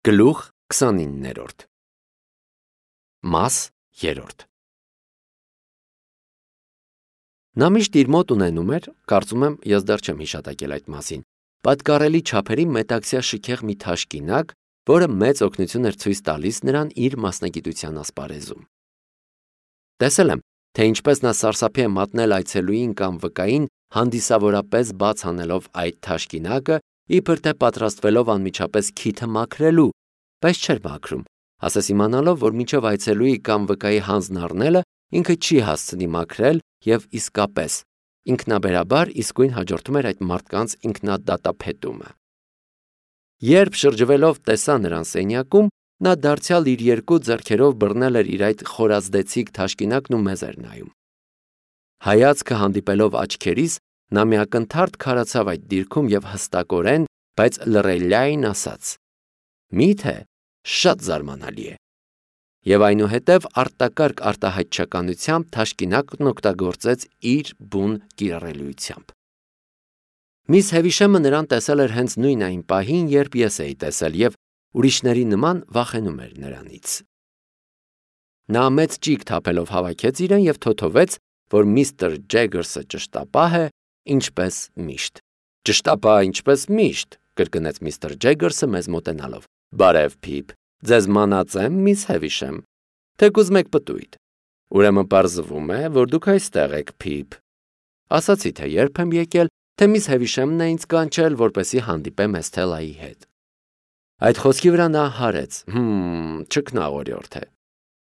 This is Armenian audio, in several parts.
Գլուխ 29-րդ Մաս 3 Նա միշտ իր մոտ ունենում էր, կարծում եմ, ես դեռ չեմ հիշատակել այդ մասին, պատկառելի չափերի մետաքսյա շքեղ մի թաշկինակ, որը մեծ օգնություն էր ցույց տալիս նրան իր մասնագիտության ասպարեզում։ Տեսել եմ, թե ինչպես նա սարսափի է մատնել այցելուին կամ վկային, հանդիսավորապես բաց անելով այդ թաշկինակը, իբր թե պատրաստվելով անմիջապես քիթը մաքրելու, բայց չէր մաքրում, ասես իմանալով, որ մինչև այցելուի կամ վկայի հանձն առնելը ինքը չի հասցնի մաքրել և իսկապես ինքնաբերաբար իսկույն հաջորդում էր այդ մարդկանց ինքնադատափետումը։ Երբ շրջվելով տեսա նրան սենյակում, նա դարձյալ իր երկու ձեռքերով բռնել էր իր այդ խորազդեցիկ թաշկինակն ու մեզ էր նայում։ Հայացքը հանդիպելով աչքերիս, նա մի ակնթարթ քարացավ այդ դիրքում և հստակորեն, բայց լռելիային ասաց. «Մի՞թե, շատ զարմանալի է» և այնուհետև արտակարգ արտահայտչականությամբ թաշկինակն օգտագործեց իր բուն կիրառելիությամբ։ Միս Հևիշեմը նրան տեսել էր հենց նույն այն պահին, երբ ես էի տեսել և ուրիշների նման վախենում էր նրանից։ Նա մեծ ճիգ թափելով հավաքեց իրեն և թոթովեց, որ միստր Ջեգերսը ճշտապահ է, ինչպես միշտ։ Ճշտապահ ինչպես միշտ, կրկնեց միստր Ջեգերսը մեզ մոտենալով։ Բարև, Փիփ, ձեզ մանած եմ, միս Հևիշեմ, թեկուզ մեկ պտույտ։ Ուրեմն պարզվում է, որ դուք այստեղ եք, Փիփ։ Ասացի, թե երբ եմ եկել, թե միս Հևիշեմն է ինձ կանչել, որպեսզի հանդիպեմ Էսթելայի հետ։ Այդ խոսքի վրա նա հարեց, չքնաղորյորդ է։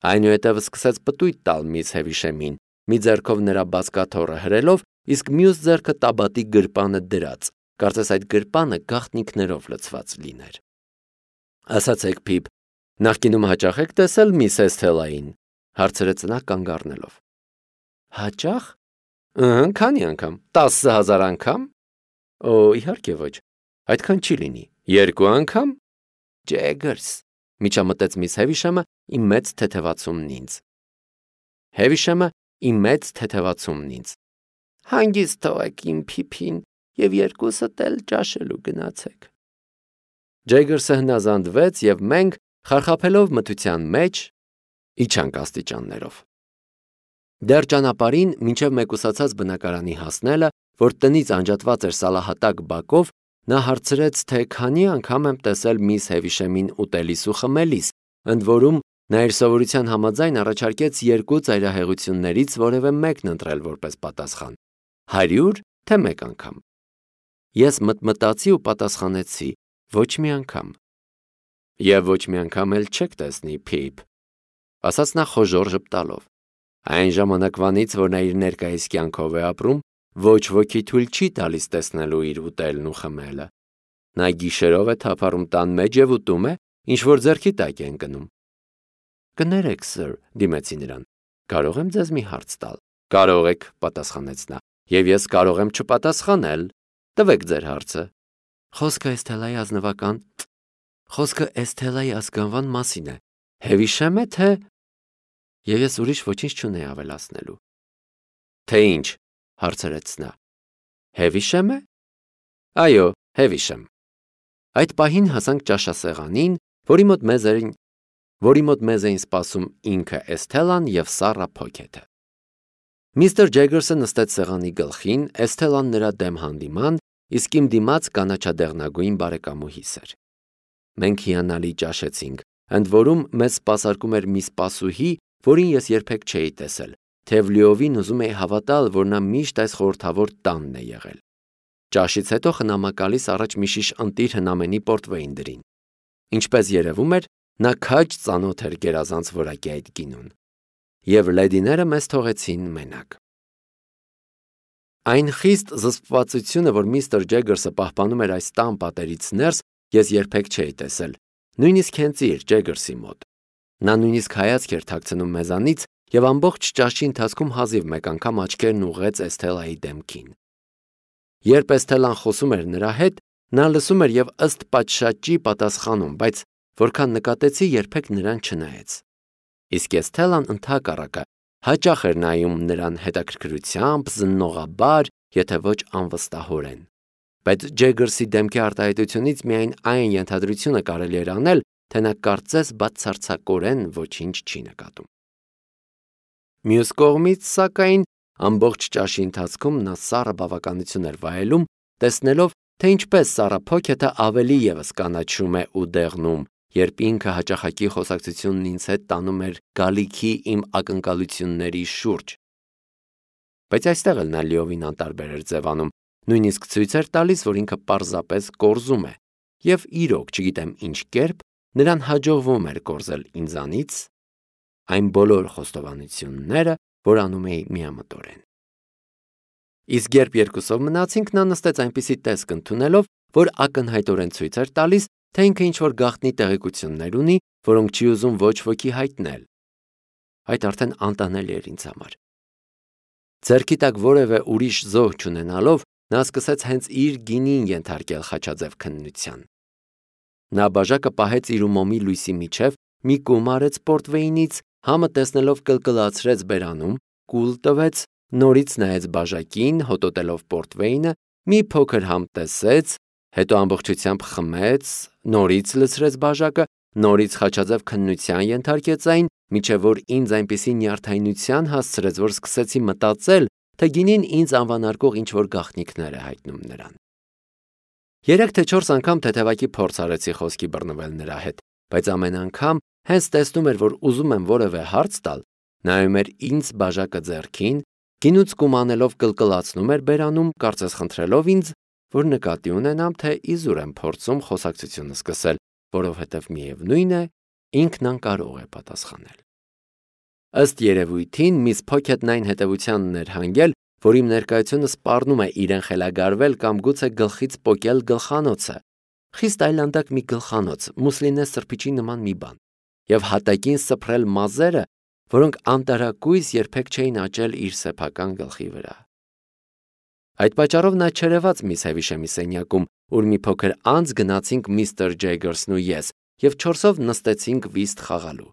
Այնուհետև սկսեց պտույտ տալ միս Հևիշեմին, մի ձեռքով նրա բազկաթոռը հրելով, իսկ մյուս ձեռքը տաբատի գրպանը դրած, կարծես այդ գրպանը գաղտնիքներով լցված լիներ։ Ասացեք, Փիփ, նախկինում հաճախ եք տեսել միս Էսթելային, հարցրեց նա կանգ առնելով։ Հաճախ։ Քանի անգամ, 10,000 անգամ։ Օ, իհարկե ոչ, այդքան չի լինի։ 2 անգամ։ Ջեգերս, միջամտեց միս Հևիշեմը իմ մեծ թեթևացումն ինձ։ Հևիշեմը իմ մեծ թեթևացումն ինձ։ Հանգիստ թողեք իմ Փիփին և երկուսդ էլ ճաշելու գնացեք։ Ջեգերսը հնազանդվեց և մենք, խարխափելով մթության մեջ, իջանք աստիճաններով։ Դեռ ճանապարհին, մինչև մեկուսացած բնակարանի հասնելը, որ տնից անջատված էր սալահատակ բակով, նա հարցրեց, թե քանի անգամ եմ տեսել միս Հևիշեմին ուտելիս ու խմելիս, ընդ որում նա իր սովորության համաձայն առաջարկեց 2 ծայրահեղություններից որևէ մեկն ընտրել որպես պատասխան, 100 թե 1 անգամ։ Ես մտմտացի ու պատասխանեցի. ոչ մի անգամ։ Եվ ոչ մի անգամ էլ չեք տեսնի, Փիփ, ասաց նա խոժոռ ժպտալով։ Այն ժամանակվանից, որ նա իր ներկայիս կյանքով է ապրում, ոչ ոքի թույլ չի տալիս տեսնելու իր ուտելն ու խմելը։ Նա գիշերով է թափառում տան մեջ և ուտում է, ինչ որ ձեռքի տակ է ընկնում։ Կներեք, սըր, դիմեցի նրան, կարող եմ ձեզ մի հարց տալ։ Կարող եք, պատասխանեց նա, և ես կարող եմ չպատասխանել։ Տվեք ձեր հարցը։ Խոսքը Էսթելայի ազգանվան մասին է։ Հևիշեմ է, թե… Եվ ես ուրիշ ոչինչ չունեի ավելացնելու։ Թե ինչ, հարցրեց նա։ Հևիշեմ է։ Այո, Հևիշեմ։ Այդ պահին հասանք ճաշասեղանին, որի մոտ մեզ էին սպասում ինքը Էսթելան և Սառա Փոքեթը։ Միստր Ջեգերսը նստեց սեղանի գլխին, Էսթելան նրա դեմ հանդիման, իսկ իմ դիմաց կանաչադեղնագույն բարեկամուհիս էր։ Մենք հիանալի ճաշեցինք, ընդ որում մեզ սպասարկում էր մի սպասուհի, որին ես երբեք չէի տեսել, թեև լիովին ուզում էի հավատալ, որ նա միշտ այս խորհրդավոր տանն է եղել։ Ճաշից հետո խնամակալիս առաջ մի շիշ ընտիր հնամենի պորտվեին դրին։ Ինչպես երևում էր, նա քաջ ծանոթ էր գերազանց որակի այդ գինուն։ Եվ լեդիները մեզ թողեցին մենակ։ Այն խիստ զսպվածությունը, որ միստր Ջեգերսը պահպանում էր այս տան պատերից ներս, ես երբեք չէի տեսել, նույնիսկ հենց իր Ջեգերսի մոտ։ Նա նույնիսկ հայացք էր թաքցնում մեզանից և ամբողջ ճաշի ընթացքում հազիվ մեկ անգամ աչքերն ուղղեց Էսթելայի դեմքին։ Երբ Էսթելան խոսում էր նրա հետ, նա լսում էր և ըստ պատշաճի պատասխանում, բայց որքան նկատեցի, երբեք նրան չնայեց։ Իսկ Էսթելան ընդհակառակը հաճախ էր նայում նրան հետաքրքրությամբ, զննողաբար, եթե ոչ անվստահորեն։ Բայց Ջեգերսի դեմքի արտահայտությունից միայն այն ենթադրությունը կարելի էր անել, թե նա կարծես բացարձակորեն ոչինչ չի նկատում։ Մյուս կողմից, սակայն, ամբողջ ճաշի ընթացքում նա սառը բավականություն էր վայելում, տեսնելով, թե ինչպես Սառա Փոքեթը ավելի ևս կանաչում է ու դեղնում, երբ ինքը հաճախակի խոսակցությունն ինձ հետ տանում էր գալիքի իմ ակնկալությունների շուրջ։ Բայց այստեղ էլ նա լիովին անտարբեր էր ձևանում, նույնիսկ ցույց էր տալիս, որ ինքը պարզապես կորզում է, եւ իրոք, չգիտեմ ինչ կերպ, նրան հաջողվում էր կորզել ինձանից այն բոլոր խոստովանությունները, որ անում էի միամտորեն։ Իսկ երբ երկուսով մնացինք, նա նստեց այնպիսի տեսք ընդունելով, որ ակնհայտորեն ցույց էր տալիս, թե ինքը ինչ-որ գաղտնի տեղեկություններ ունի, որոնք չի ուզում ոչ ոքի հայտնել։ Այդ արդեն անտանելի էր ինձ համար։ Ձեռքի տակ որևէ ուրիշ զոհ չունենալով, նա սկսեց հենց իր գինին ենթարկել խաչաձև քննության։ Նա բաժակը պահեց իր ու մոմի լույսի միջև, մի կում արեց պորտվեյնից, համը տեսնելով կլկլացրեց բերանում, կուլ տվեց, նորից նայեց բաժակին, հոտոտելով պորտվեյնը, մի փոքր համ տեսեց, հետո ամբողջությամբ խմեց, նորից լցրեց բաժակը, նորից խաչաձև քննության ենթարկեց այն, մինչև որ ինձ այնպիսի նյարդայնության հասցրեց, որ սկսեցի մտածել, թե գինին ինձ անվանարկող ինչ-որ գաղտնիքներ է հայտնում նրան։ 3 թե 4 անգամ թեթևակի փորձ արեցի խոսքի բռնվել նրա հետ, բայց ամեն անգամ հենց տեսնում էր, որ ուզում եմ որևէ հարց տալ, նայում էր ինձ բաժակը ձեռքին, գինուց կում անելով կլկլացնում էր բերանում, կարծես խնդրելով ինձ, որ նկատի ունենամ, թե իզուր եմ փորձում խոսակցությունը սկսել, որովհետև միևնույն է, ինքն անկարող է պատասխանել։ Ըստ երևույթին, միս Փոքեթն այն հետևությանն էր հանգել, որ իմ ներկայությունը սպառնում է իրեն խելագարվել կամ գուցե գլխից պոկել գլխանոցը, խիստ այլանդակ մի գլխանոց, մուսլինե սրբիչի նման մի բան, եւ հատակին սփռել մազերը, որոնք անտարակույս երբեք չէին աճել իր սեփական գլխի վրա։ Այդ պատճառով նա չերևաց միս Հևիշեմի սենյակում, ուր մի փոքր անց գնացինք միստր Ջեյգերսն ու ես, եւ 4-ով նստեցինք վիստ խաղալու։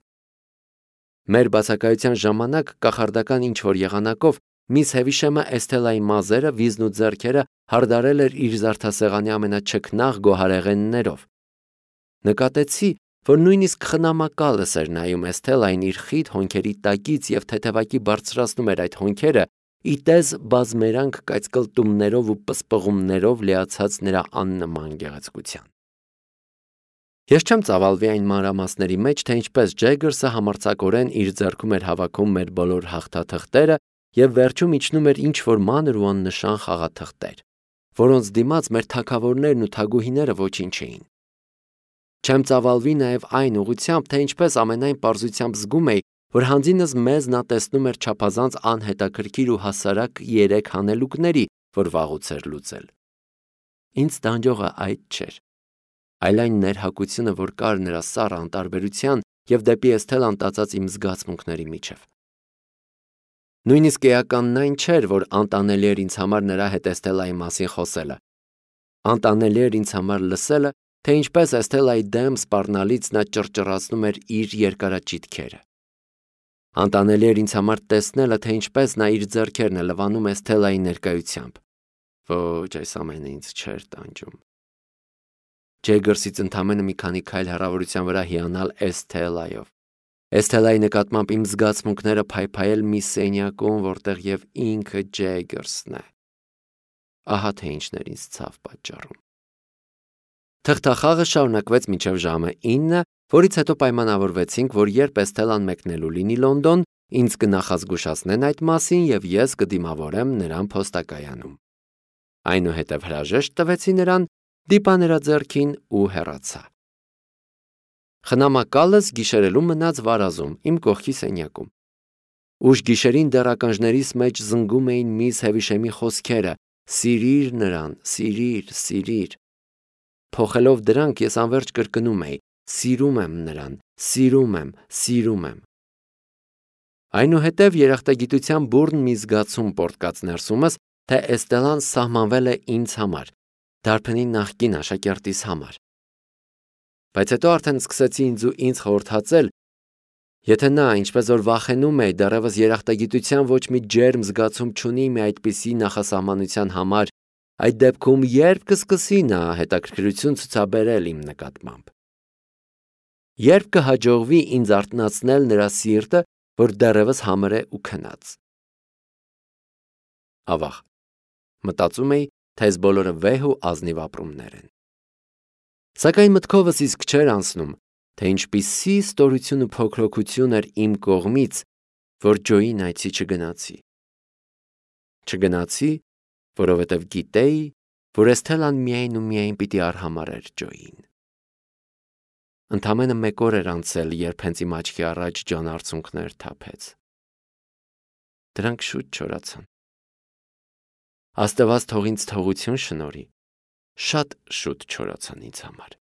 Մեր բացակայության ժամանակ կախարդական ինչ-որ եղանակով միս Հևիշեմը Էսթելայի մազերը, վիզն ու ձեռքերը հարդարել էր իր զարդասեղանի ամենաչքնաղ գոհարեղեններով։ Նկատեցի, որ նույնիսկ խնամակալս էր նայում Էսթելային իր խիտ հոնքերի տակից եւ թեթևակի բարձրացնում էր այդ հոնքերը, ի տես բազմերանք կայծկլտումներով ու պսպղումներով լիացած նրա աննման գեղեցկության։ Ես չեմ ծավալվի այն մանրամասների մեջ, թե ինչպես Ջեյգերսը համարձակորեն իր ձեռքում էր հավաքում մեր բոլոր հաղթաթղթերը եւ վերջում իջնում էր ինչ-որ մանր ու աննշան խաղաթղթեր, որոնց դիմաց մեր թագավորներն ու թագուհիները ոչինչ չէին։ Չեմ ծավալվի նաեւ այն ուղղությամբ, թե ինչպես ամենայն պարզությամբ զգում էի, որ հանձինս մեզ նա տեսնում էր չափազանց անհետաքրքիր ու հասարակ 3 հանելուկների, որ վաղուց էր լուծել։ Ինձ տանջողը այդ չէր, այլ այն ներհակությունը, որ կար նրա սառը անտարբերության եւ դեպի Էսթելան տածած իմ զգացմունքների միջև։ Նույնիսկ էականն այն չէր, որ անտանելի էր ինձ համար նրա հետ Էսթելայի մասին խոսելը։ Անտանելի էր ինձ համար լսելը, թե ինչպես Էսթելայի դեմ սպառնալից նա ճռճռացնում էր իր երկարաճիթքերը։ Անտանելի էր ինձ համար տեսնելը, թե ինչպես նա իր ձեռքերն է լվանում Էսթելայի ներկայությամբ։ Ոչ, այս ամենը ինձ չէր տանջում։ Ջեյգերսից ընդամենը մի քանի քայլ հեռավորության վրա հիանալ Էսթելայով։ Էսթելայի նկատմամբ իմ զգացմունքները փայփայել մի սենյակում, որտեղ եւ ինքը Ջեյգերսն է։ Ահա թե ինչն էր ինձ ցավ պատճառում։ Թղթախաղը շարունակվեց մինչև ժամը 9, որից հետո պայմանավորվեցինք, որ երբ Էսթելան մեկնելու լինի Լոնդոն, ինձ կնախազգուշացնեն այդ մասին եւ ես կդիմավորեմ նրան փոստակայանում։ Այնուհետև հրաժեշտ տվեցի նրան, դիպա նրա ձեռքին ու հեռացա։ Խնամակալս գիշերելու մնաց վարազում, իմ կողքի սենյակում։ Ուշ գիշերին դեռ ականջներիս մեջ զնգում էին միս Հևիշեմի խոսքերը. «Սիրիր նրան, սիրիր, սիրիր»։ Փոխելով դրանք ես անverջ կրկնում էի. «Սիրում եմ նրան, սիրում եմ, սիրում եմ»։ Այնուհետև երախտագիտության բուռն մի զգացում պոռթկաց ներսումս, թե Էստելան սահմանվել է ինձ համար, դարբնի նախկին աշակերտիս համար։ Բայց հետո արդեն սկսեցի ինձ խորհրդածել, եթե նա, ինչպես որ վախենում է, դեռևս երախտագիտության ոչ մի ջերմ զգացում չունի մի այդպիսի նախասահմանության համար, այդ դեպքում երբ կսկսի նա հետաքրքրություն ցուցաբերել իմ նկատմամբ։ Երբ կհաջողվի ինձ արթնացնել նրա սիրտը, որ դեռևս համր է ու քնած։ Ավաղ, մտածում էի, թե այս բոլորը վեհ ու ազնիվ ապրումներ են։ Սակայն մտքովս իսկ չէր անցնում, թե ինչպիսի ստորություն ու փոքրոքություն էր իմ կողմից, որ Ջոյին այցի չգնացի։ Չգնացի, որովհետև գիտեի, որ Էսթելան միայն ու միայն պիտի արհամարհեր Ջոյին։ Ընդամենը 1 օր էր անցել, երբ հենց իմ աչքի առաջ Ջոն արցունքներ թափեց։ Դրանք շուտ չորացան։ Աստված թող ինձ թողություն շնորհի, շատ շուտ չորացան ինձ համար։